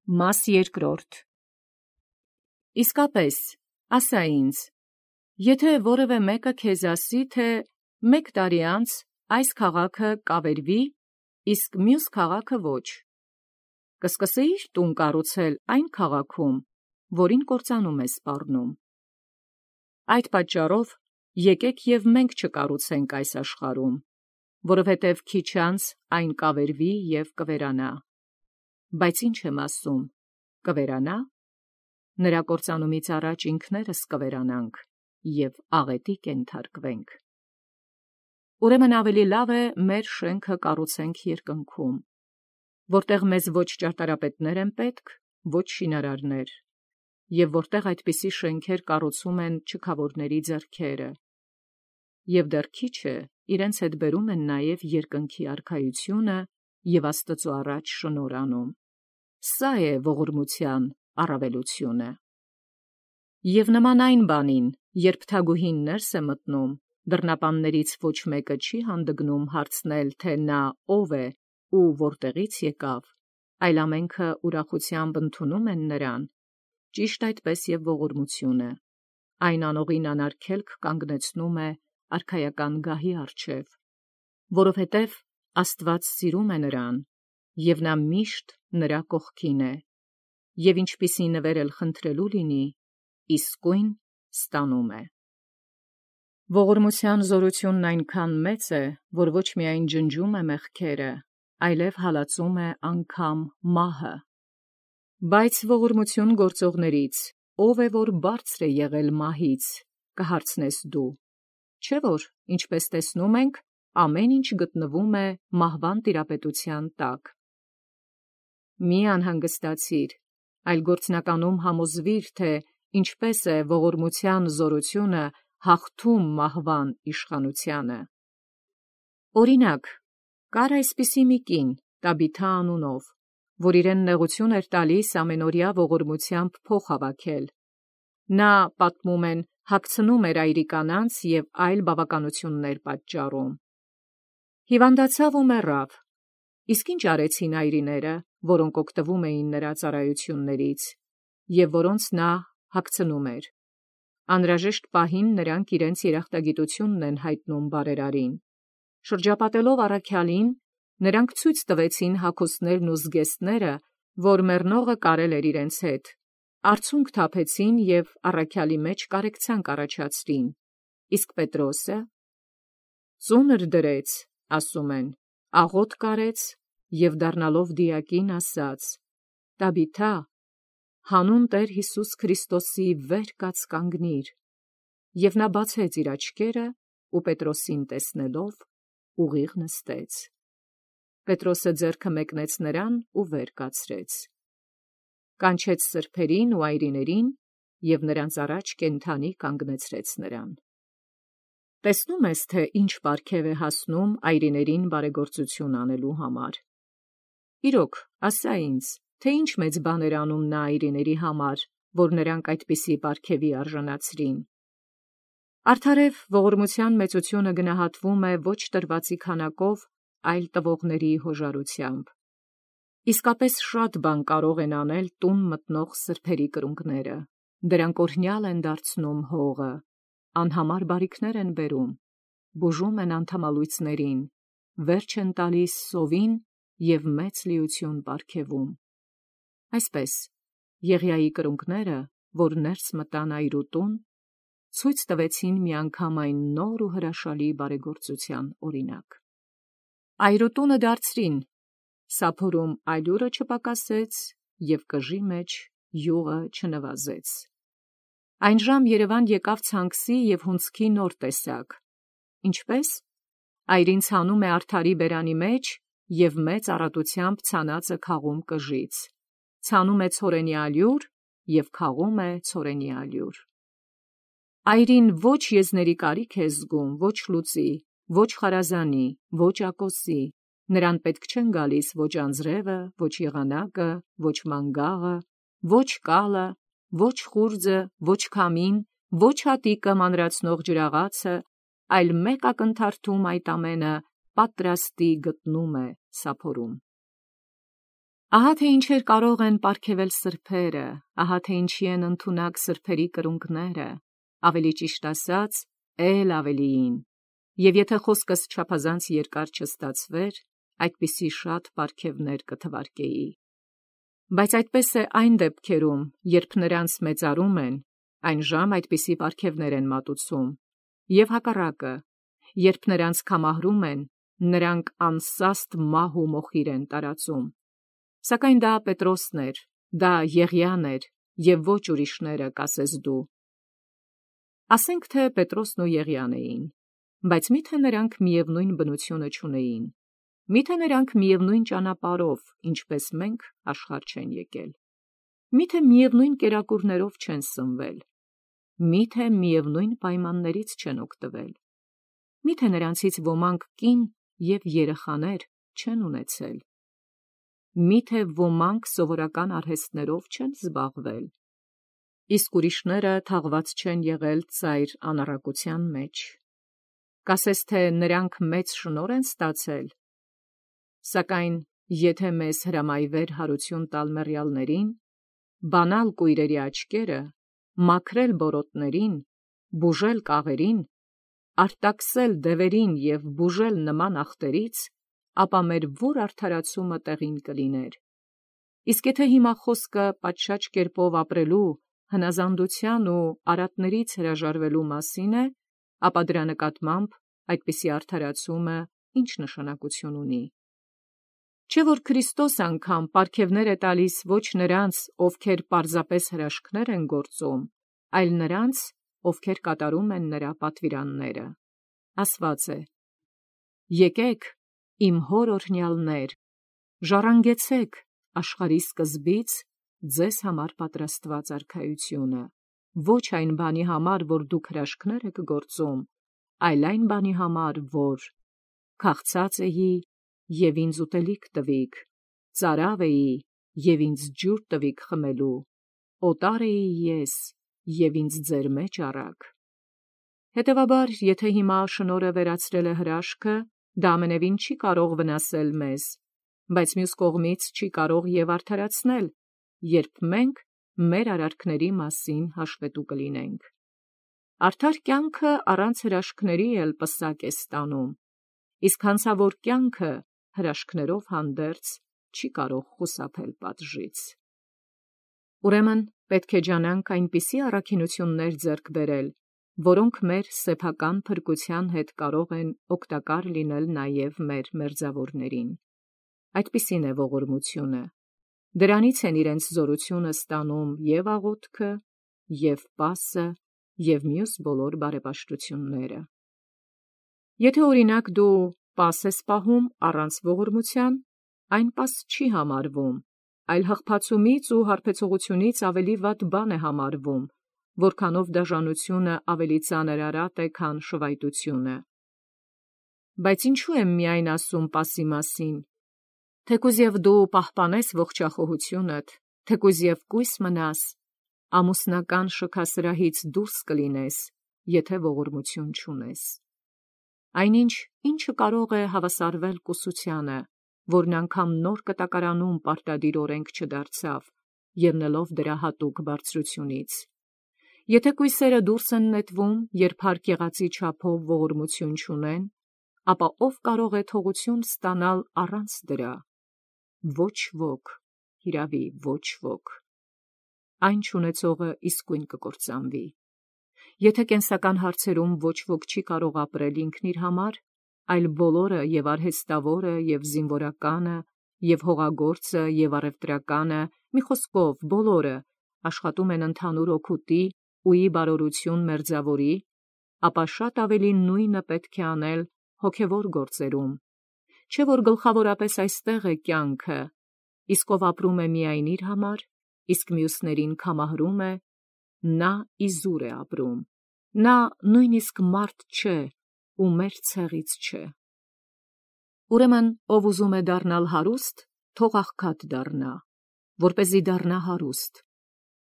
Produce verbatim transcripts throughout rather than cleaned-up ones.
Մաս երկրորդ. Իսկապես, ասա ինձ, եթե որևէ մեկը քեզ ասի, թե մեկ տարի անց այս քաղաքը կավերվի, իսկ մյուս քաղաքը ոչ, կսկսեիր տուն կառուցել այն քաղաքում, որին կործանում ես սպառնում։ Այդ պատճառով եկեք և մենք չկառուցենք այս աշխարհում, որովհետև քիչ անց այն կավերվի և կվերանա։ Բայց ինչ եմ ասում, կվերանա, նրա կործանումից առաջ ինքներս կվերանանք և աղետի կենթարկվենք։ Ուրեմն ավելի լավ է մեր շենքը կառուցենք երկնքում, որտեղ մեզ ոչ ճարտարապետներ են պետք, ոչ շինարարներ, և որտեղ այդպիսի շենքեր կառուցում են չքավորների ձեռքերը, և դեռ քիչ է, իրենց հետ բերում են նաև երկնքի արքայությունը և Աստծու առաջ շնորհ անում։ Սա է ողորմության առավելությունը։ Եվ նման այն բանին, երբ թագուհին ներս է մտնում, դռնապաններից ոչ մեկը չի հանդգնում հարցնել, թե նա ով է ու որտեղից եկավ, այլ ամենքը ուրախությամբ ընդունում են նրան, ճիշտ այդպես և ողորմությունը, այն անողին անարգելք կանգնեցնում է արքայական գահի առջև, որովհետև Աստված սիրում է նրան, և նա միշտ նրա կողքին է, և ինչպիսի նվեր էլ խնդրելու լինի, իսկույն ստանում է։ Ողորմության զորությունն այնքան մեծ է, որ ոչ միայն ջնջում է մեղքերը, այլև հալածում է անգամ մահը։ Բայց ողորմություն գործողներից ո՞վ է, որ բարձր է եղել մահից, կհարցնես դու, չէ՞ որ, ինչպես տեսնում ենք, ամեն ինչ գտնվում է մահվան տիրապետության տակ։ Մի անհանգստացիր, այլ գործնականում համոզվիր, թե ինչպես է ողորմության զորությունը հաղթում մահվան իշխանությանը։ Օրինակ, կար այսպիսի մի կին, Տաբիթա անունով, որ իրեն նեղություն էր տալիս ամենօրյա ողորմությամբ փող հավաքել։ Նա, պատմում են, հագցնում էր այրի կանանց և այլ բավականություններ պատճառում։ Հիվանդացավ ու մեռավ։ Իսկ ինչ արեցին այրիները, որոնք օգտվում էին նրա ծառայություններից, և որոնց նա հագցնում էր։ Անհրաժեշտ պահին նրանք իրենց երախտագիտությունն են հայտնում բարերարին։ Շրջապատելով առաքյալին, նրանք ցույց տվեցին հագուստներն ու զգեստները, որ մեռնողը կարել էր իրենց հետ, արցունք թափեցին և առաքյալի մեջ կարեկցանք առաջացրին, իսկ Պետրոսը ծունր դրեց, ասում են, աղոթք արեց և դառնալով դիակին ասաց. «Տաբիթա, հանուն Տեր Հիսուս Քրիստոսի վեր կաց կանգնիր», և նա բացեց իր աչքերը ու Պետրոսին տեսնելով ուղիղ նստեց։ Պետրոսը ձեռքը մեկնեց նրան ու վեր կացրեց, կանչեց սրբերին ու այրիներին և նրանց առաջ կենդանի կանգնեցրեց նրան։ Տեսնում ես, թե ինչ պարգև է հասնում այրիներին բարեգործություն անելու համար։ Իրոք, ասա ինձ, թե ինչ մեծ բան էր անում նա այրիների համար, որ նրանք այդպիսի պարգևի արժանացրին։ Արդարև ողորմության մեծությունը գնահատվում է ոչ տրվածի քանակով, այլ տվողների հոժարությամբ։ Իսկապես շատ բան կարող են անել տուն մտնող սրբերի կրունկները, դրանք օրհնյալ են դարձնում հողը, անհամար բարիքներ են բերում, բուժում են անդամալույծներին, վերջ են տալիս սովին և մեծ լիություն պարգևում։ Այսպես, Եղիայի կրունկները, որ ներս մտան այրու տուն, ցույց տվեցին միանգամայն նոր ու հրաշալի բարեգործության օրինակ։ Այրու տունը դարձրին, սափորում ալյուրը չպակասեց և կժի մեջ յուղը չնվազեց։ Այն ժամ Երևան եկավ ցանքսի և հունձքի նոր տեսակ։ Ինչպես։ Այրին ցանում է արդարի բերանի մեջ և մեծ առատությամբ ցանածը քաղում կժից, ցանում է ցորենի ալյուր և քաղում է ցորենի ալյուր։ Այրին ոչ եզների կարիք է զգում, ոչ լուծի, ոչ խարազանի, ոչ ակոսի, նրան պետք չեն գալիս ոչ անձրևը, ոչ եղանակը, ոչ մանգաղը, ոչ կալը, ոչ խուրձը, ոչ քամին, ոչ հատիկը մանրացնող ջրաղացը, այլ մեկ ակնթարթում այդ ամենը պատրաստի գտնում է սափորում։ Ահա թե ինչեր կարող են պարգևել սրբերը, ահա թե ինչի են ընդունակ սրբերի կրունկները, ավելի ճիշտ ասած, էլ ավելիին, և եթե խոսքս չափազանց երկար չստացվեր, այդպիսի շատ պարգևներ կթվարկեի։ Բայց այդպես է այն դեպքերում, երբ նրանց մեծարում են, այն ժամ այդպիսի պարգևներ են մատուցում, և հակառակը, երբ նրանց կամահրում են, նրանք անսաստ մահ ու մոխիր են տարածում։ Սակայն դա Պետրոսն էր, դա Եղիան էր, և ոչ ուրիշները, կասես դու։ Ասենք թե Պետրոսն ու Եղիան էին, բայց միթե նրանք միևնույն բնությունը չունեին, միթե նրանք միևնույն ճանապարհով, ինչպես մենք, աշխարհ չեն եկել, միթե միևնույն կերակուրներով չեն սնվել, միթե միևնույն պայմաններից չեն օգտվել, միթե նրանցից ոմանք կին և երեխաներ չեն ունեցել, միթե ոմանք սովորական արհեստներով չեն զբաղվել, իսկ ուրիշները թաղված չեն եղել ծայր անառակության մեջ, կասես թե նրանք մեծ շնորհ են ստացել, սակայն եթե մեզ հրամայվեր հարություն տալ մեռյալներին, բանալ կույրերի աչքերը, մաքրել բորոտներին, բուժել կաղերին, արտաքսել դևերին և բուժել նման ախտերից, ապա մեր ո՞ր արդարացումը տեղին կլիներ։ Իսկ եթե հիմա խոսքը պատշաճ կերպով ապրելու, հնազանդության ու արատներից հրաժարվելու մասին է, ապա դրա նկատմամբ այդպիսի արդարացումը ինչ նշանակություն ունի։ Չէ՞ որ Քրիստոս անգամ պարգևներ է տալիս ոչ նրանց, ովքեր պարզապես հրաշքներ են գործում, այլ նրանց, ովքեր կատարում են նրա պատվիրանները։ Ասված է. «Եկեք, իմ հոր օրհնյալներ, ժառանգեցեք աշխարհի սկզբից ձեզ համար պատրաստված արքայությունը, ոչ այն բանի համար, որ դուք հրաշքներ եք գործում, այլ այն բանի համար, որ քաղցած էի, և ինձ ուտելիք տվիք, ծարավ էի, և ինձ ջուր տվիք խմելու, օտար էի ես, և ինձ ձեր մեջ առաք»։ Հետևաբար, եթե հիմա շնորհը վերացրել է հրաշքը, դա ամենևին չի կարող վնասել մեզ, բայց մյուս կողմից չի կարող և արդարացնել, երբ մենք մեր արարքների մասին հաշվետու կլինենք։ Արդար կյանքը առանց հրաշքների էլ պսակ է ստանում, իսկ հանցավոր կյանքը հրաշքներով հանդերձ չի կարող խուսափել պատժից։ Ուրեմն պետք է ջանանք այնպիսի առաքինություններ ձեռք բերել, որոնք մեր սեփական փրկության հետ կարող են օգտակար լինել նաև մեր մերձավորներին։ Այդպիսին է ողորմությունը։ Դրանից են իրենց զորությունը ստանում և աղոթքը, և պասը, և մյուս բոլոր բարեպաշտությունները։ Եթե օրինակ դու պաս ես պահում առանց ողորմության, այն պաս չի համարվում, այլ հղփացումից ու հարբեցողությունից ավելի վատ բան է համարվում, որքանով դաժանությունը ավելի ծանր արատ է, քան շվայտությունը։ Բայց ինչու եմ միայն ասում պասի մասին, թեկուզ և դու պահպանես ողջախոհությունդ, թեկուզ և կույս մնաս, ամուսնական շքասրահից դուրս կլինես, եթե ողորմություն չունես։ Այնինչ, ինչը կարող է հավասարվել կուսությանը, որն անգամ նոր կտակարանում պարտադիր օրենք չդարձավ, ելնելով դրա հատուկ բարձրությունից։ Եթե կույսերը դուրս են նետվում, երբ հարկ եղածի չափով ողորմություն չունեն, ապա ով կարող է թողություն ստանալ առանց դրա։ Ոչ ոք, հիրավի ոչ ոք։ Այն չունեցողը իսկույն կկործանվի։ Եթե կենսական հարցերում ոչ ոք չի կարող ապրել ինքն իր համար, այլ բոլորը և արհեստավորը, և զինվորականը, և հողագործը, և առևտրականը, մի խոսքով բոլորը աշխատում են ընդհանուր օգուտի ու ի բարօրություն մերձավորի, ապա շատ ավելի նույնը պետք է անել հոգևոր գործերում։ Չէ՞ որ գլխավորապես այստեղ է կյանքը, իսկ ով ապրում է միայն իր համար, իսկ մյուսներին կամահրում է, նա իզուր է ապրում, նա նույնիսկ մարդ չէ ու մեր ցեղից չէ։ Ուրեմն, ով ուզում է դառնալ հարուստ, թող աղքատ դառնա, որպեսզի դառնա հարուստ,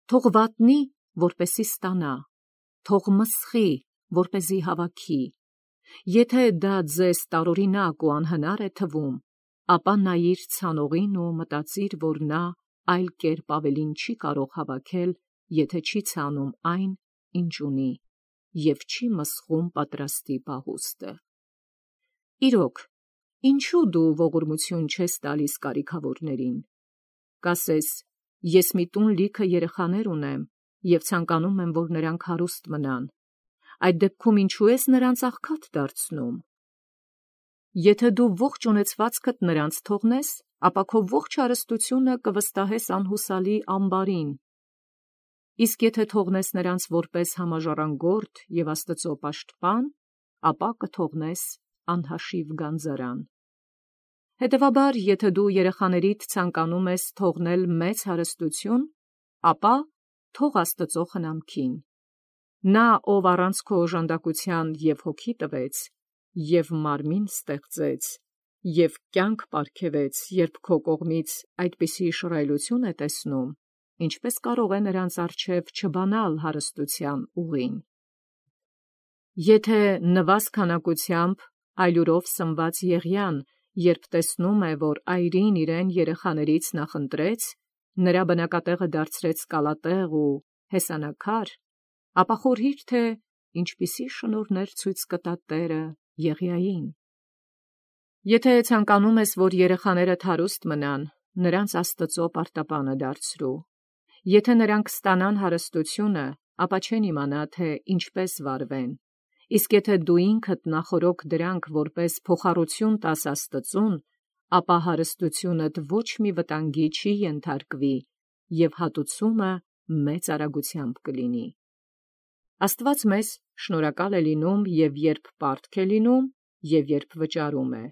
թող վատնի, որպեսզի ստանա, թող մսխի, որպեսզի հավաքի։ Եթե դա ձեզ տարօրինակ ու անհնար է թվում, ապա նայիր ցանողին ու մտածիր, որ նա այլ կերպ ավելին չի կարող հավաքել, եթե չի ցանում այն, ինչ ունի, և չի մսխում պատրաստի պահուստը։ Իրոք, ինչու դու ողորմություն չես տալիս կարիքավորներին։ Կասես, ես մի տուն լիքը երեխաներ ունեմ, և ցանկանում եմ, որ նրանք հարուստ մնան, այդ դեպքում ինչու ես նրանց աղքատ դարձնում։ Եթե դու ողջ ունեցվածքդ նրանց թողնես, ապա քո ողջ հարստությունը կվստահես անհուսալի ամբարին, իսկ եթե թողնես նրանց որպես համաժառանգորդ և Աստծո պաշտպան, ապա կթողնես անհաշիվ գանձարան։ Հետևաբար, եթե դու երեխաներիդ ցանկանում ես թողնել մեծ հարստություն, ապա թող Աստծո խնամքին։ Նա, ով առանց քո օժանդակության և հոգի տվեց, և մարմին ստեղծեց, և կյանք պարգևեց, երբ քո կողմից այդպիսի շռայլություն է տեսնում, ինչպե՞ս կարող է նրանց առջև չբանալ հարստության ուղին։ Եթե նվազ քանակությամբ այլուրով սնված Եղիան, երբ տեսնում է, որ այրին իրեն երեխաներից նախընտրեց, նրա բնակատեղը դարձրեց կալատեղ ու հեսանաքար, ապա խորհիր, թե ինչպիսի շնորհներ ցույց կտա Տերը Եղիային։ Եթե ցանկանում ես, որ երեխաներդ հարուստ մնան, նրանց Աստծո պարտապանը դարձրու։ Եթե նրանք ստանան հարստությունը, ապա չեն իմանա, թե ինչպես վարվեն, իսկ եթե դու ինքդ նախօրոք դրանք որպես փոխառություն տաս Աստծուն, ապա հարստությունդ ոչ մի վտանգի չի ենթարկվի, և հատուցումը մեծ արագությամբ կլինի։ Աստված մեզ շնորհակալ է լինում և երբ պարտք է լինում, և երբ վճարում է,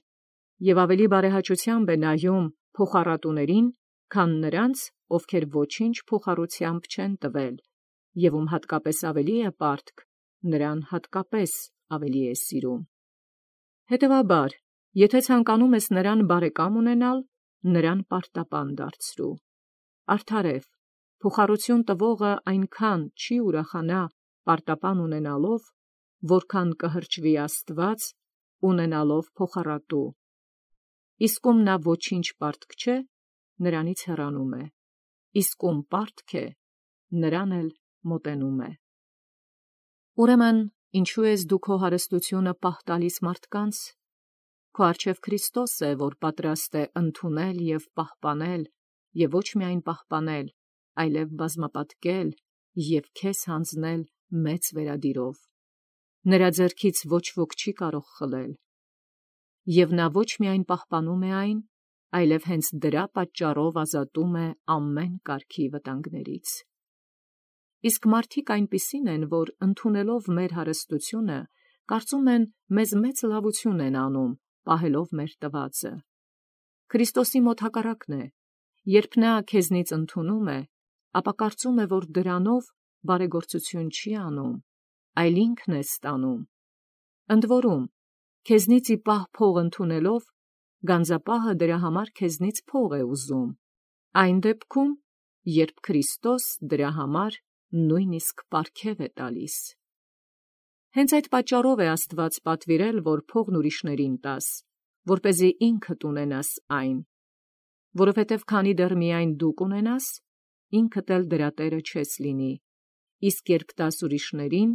և ավելի բարեհաճությամբ է նայում փոխառատուներին, քան նրանց, ովքեր ոչինչ փոխառությամբ չեն տվել, և ում հատկապես ավելի է պարտք, նրան հատկապես ավելի է սիրում։ Հետևաբար, եթե ցանկանում ես նրան բարեկամ ունենալ, նրան պարտապան դարձրու։ Արդարև, փոխառություն տվողը այնքան չի ուրախանա պարտապան ունենալով, որքան կհրճվի Աստված ունենալով փոխառատու, իսկ ում նա ոչինչ պարտք չէ, նրանից հեռանում է, իսկ ում պարտք է, նրան էլ մոտենում է։ Ուրեմն ինչու ես դու քո հարստությունը պահ տալիս մարդկանց։ Քո առջև Քրիստոս է, որ պատրաստ է ընդունել և պահպանել, և ոչ միայն պահպանել, այլև բազմապատկել և քեզ հանձնել մեծ վերադիրով։ Նրա ձեռքից ոչ ոք չի կարող խլել։ Եվ նա ոչ միայն պահպանում է այն, այլև հենց դրա պատճառով ազատում է ամեն կարգի վտանգներից։ Իսկ մարդիկ այնպիսին են, որ ընդունելով մեր հարստությունը, կարծում են մեզ մեծ լավություն են անում, պահելով մեր տվածը։ Քրիստոսի մոտ հակառակն է, երբ նա քեզնից ընդունում է, ապա կարծում է, որ դրանով բարեգործություն չի անում, այլ ինքն է ստանում։ Ընդ որում, քեզնից ի պահ փող ընդունելով, գանձապահը դրա համար քեզնից փող է ուզում, այն դեպքում, երբ Քրիստոս դրա համար նույնիսկ պարգև է տալիս։ Հենց այդ պատճառով է Աստված պատվիրել, որ փողն ուրիշներին տաս, որպեսզի ինքդ ունենաս այն, որովհետև քանի դեռ միայն դու կունենաս, ինքդ էլ դրա տերը չես լինի, իսկ երբ տաս ուրիշներին,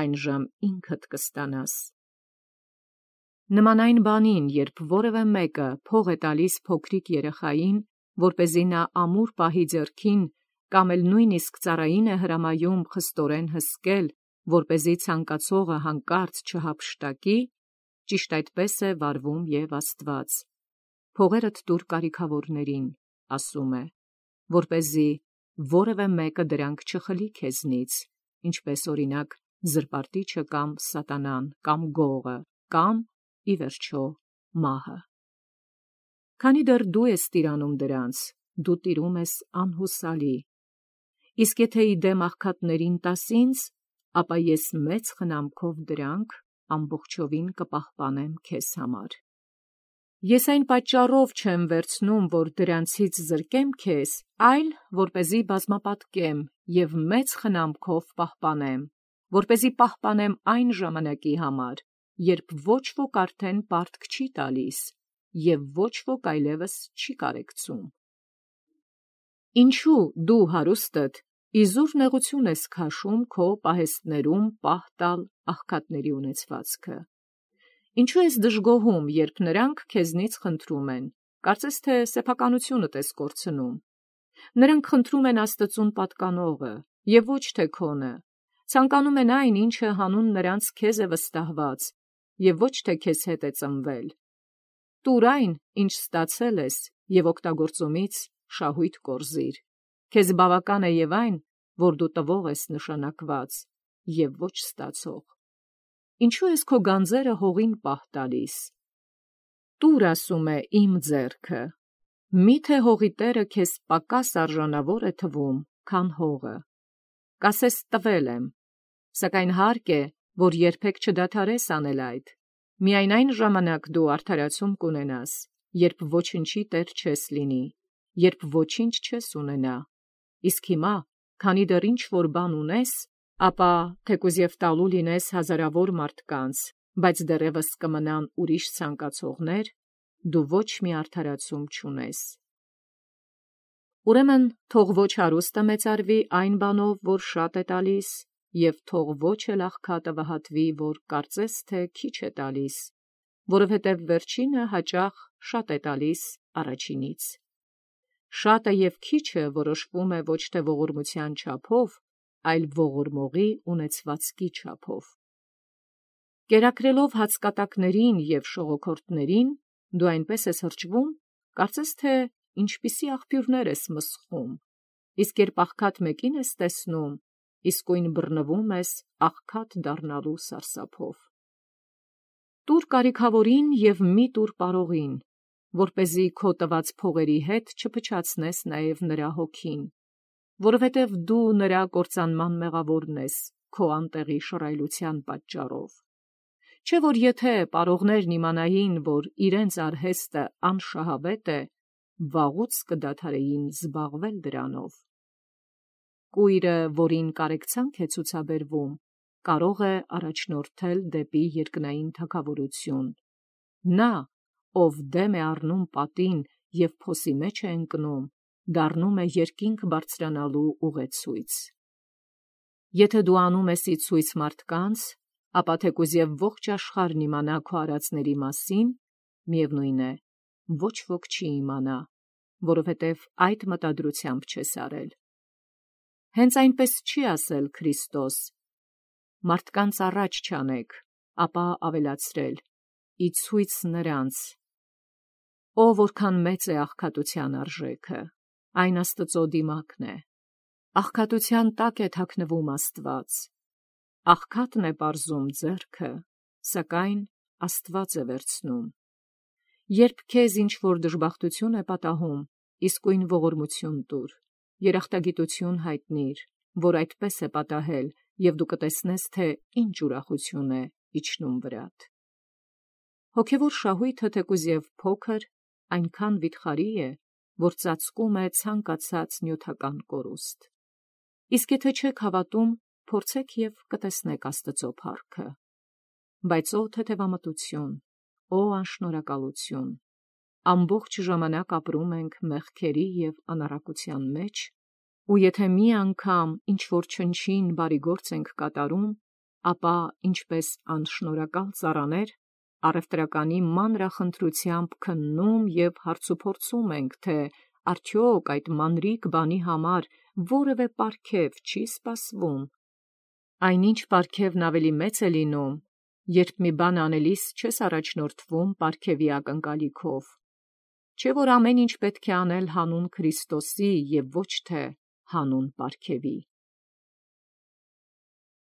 այնժամ ինքդ կստանաս։ Նման այն բանին, երբ որևէ մեկը փող է տալիս փոքրիկ երեխային, որպեսզի նա ամուր պահի ձեռքին, կամ էլ նույնիսկ ծառային է հրամայում խստորեն հսկել, որպեսզի ցանկացողը հանկարծ չհափշտակի, ճիշտ այդպես է վարվում և Աստված։ Փողերդ տուր կարիքավորներին, ասում է, որպեսզի որևէ մեկը դրանք չխլի քեզնից, ինչպես օրինակ զրպարտիչը կամ սատանան, կամ գողը, կամ, ի վերջո, մահը։ Քանի դեռ դու ես տիրանում դրանց, դու տիրում ես անհուսալի։ Իսկ եթե ի դեմ աղքատներին տաս ինձ, ապա ես մեծ խնամքով դրանք ամբողջովին կպահպանեմ քեզ համար։ Ես այն պատճառով չեմ վերցնում, որ դրանցից զրկեմ քեզ, այլ որպեսզի բազմապատկեմ և մեծ խնամքով պահպանեմ, որպեսզի պահպանեմ այն ժամանակի համար, երբ ոչ ոք արդեն պարտք չի տալիս, և ոչ ոք այլևս չի կարեկցում։ Ինչու դու հարուստդ իզուր նեղություն ես քաշում քո պահեստներում պահ տալ աղքատների ունեցվածքը։ Ինչու ես դժգոհում, երբ նրանք քեզնից խնդրում են, կարծես թե սեփականությունդ ես կորցնում։ Նրանք խնդրում են Աստծուն պատկանողը և ոչ թե քոնը, ցանկանում են այն, ինչը հանուն նրանց քեզ է վստահված և ոչ թե քեզ հետ է ծնվել։ Տուր այն, ինչ ստացել ես, և օգտագործումից շահույթ կորզիր։ Քեզ բավական է և այն, որ դու տվող ես նշանակված և ոչ ստացող։ Ինչու ես քո գանձերը հողին պահ տալիս։ Տուր, ասում է, իմ ձեռքը։ Միթե հողի տերը քեզ պակաս արժանավոր է թվում, քան հողը։ Կասես տվել եմ, սակայն հարկ է, որ երբեք չդադարես անել այդ։ Միայն այն ժամանակ դու արդարացում կունենաս, երբ ոչնչի տեր չես լինի, երբ ոչինչ չես ունենա։ Իսկ հիմա, քանի դեռ ինչ-որ բան ունես, ապա թեկուզ և տալու լինես հազարավոր մարդկանց, բայց դեռևս կմնան ուրիշ ցանկացողներ, դու ոչ մի արդարացում չունես։ Ուրեմն թող ոչ հարուստը մեծարվի այն բանով, որ շատ է տալիս, և թող ոչ էլ աղքատը վհատվի, որ կարծես թե քիչ է տալիս, որովհետև վերջինը հաճախ շատ է տալիս առաջինից։ Շատը և քիչը որոշվում է ոչ թե ողորմության չափով, այլ ողորմողի ունեցվածքի չափով։ Կերակրելով հացկատակներին և շողոքորթներին, դու այնպես ես հրճվում, կարծես թե ինչպիսի աղբյուրներ ես մսխում, իսկ երբ աղքատ մեկին ես տեսնում, իսկույն բռնվում ես աղքատ դառնալու սարսափով։ Տուր կարիքավորին և մի տուր պարողին, որպեսզի քո տված փողերի հետ չփչացնես նաև նրա հոգին, որովհետև դու նրա կործանման մեղավորն ես քո անտեղի շռայլության պատճառով։ Չէ՞ որ եթե պարողներն իմանային, որ իրենց արհեստը անշահավետ է, վաղուց կդադարեին զբաղվել դրանով։ Կույրը, որին կարեկցանք է ցուցաբերվում, կարող է առաջնորդել դեպի երկնային թագավորություն։ Նա, ով դեմ է առնում պատին և փոսի մեջ է ընկնում, դառնում է երկինք բարձրանալու ուղեցույց։ Եթե դու անում ես ի ցույց մարդկանց, ապա թեկուզ և ողջ աշխարհն իմանա քո արածների մասին, միևնույն է, ոչ ոք չի իմանա, որովհետև այդ մտադրությամբ չես արել։ Հենց այնպես չի ասել Քրիստոս. մարդկանց առաջ չանեք, ապա ավելացրել. ի ցույց նրանց։ Օ, որքան մեծ է աղքատության արժեքը, այն Աստծո դիմակն է։ Աղքատության տակ է թաքնվում Աստված։ Աղքատն է պարզում ձեռքը, սակայն Աստված է վերցնում։ Երբ քեզ ինչ-որ դժբախտություն է պատահում, իսկույն ողորմություն տուր, երախտագիտություն հայտնիր, որ այդպես է պատահել, և դու կտեսնես, թե ինչ ուրախություն է իջնում վրադ։ Հոգևոր շահույթը թեկուզ և փոքր, այնքան վիթխարի է, որ ծածկում է ցանկացած նյութական կորուստ։ Իսկ եթե չեք հավատում, փորձեք և կտեսնեք Աստծո փառքը։ Բայց ո թեթևամտություն, ո անշնորհակալություն, ամբողջ ժամանակ ապրում ենք մեղքերի և անառակության մեջ, ու եթե մի անգամ ինչ-որ չնչին բարի գործ ենք կատարում, ապա ինչպես անշնորհակալ ծառաներ, առևտրականի մանրախնդրությամբ քննում և հարցուփորձում ենք, թե արդյոք այդ մանրիկ բանի համար որևէ պարգև չի սպասվում։ Այնինչ պարգևն ավելի մեծ է լինում, երբ մի բան անելիս չես առաջնորդվում պարգևի ակնկալիքով։ Չէ՞ որ ամեն ինչ պետք է անել հանուն Քրիստոսի և ոչ թե հանուն պարգևի։